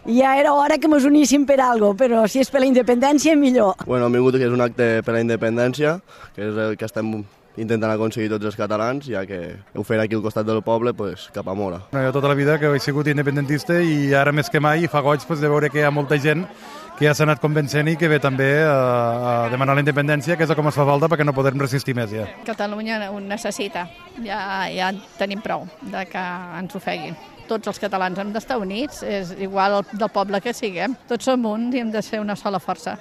i ja era hora que mos uníssim per algo, però si és per la independència, millor. Bueno, hem vingut que és un acte per la independència, que és el que estem intentant aconseguir tots els catalans, ja que ho fer aquí al costat del poble, pues, cap a Mora. Jo tota la vida que he sigut independentista i ara més que mai fa goig de veure que hi ha molta gent que ja s'ha anat convencent i que ve també a demanar la independència, que és com es fa falta perquè no podem resistir més ja. Catalunya ho necessita, ja tenim prou de que ens ofeguin. Tots els catalans hem d'estar units, és igual del poble que siguem. Tots som un i hem de ser una sola força.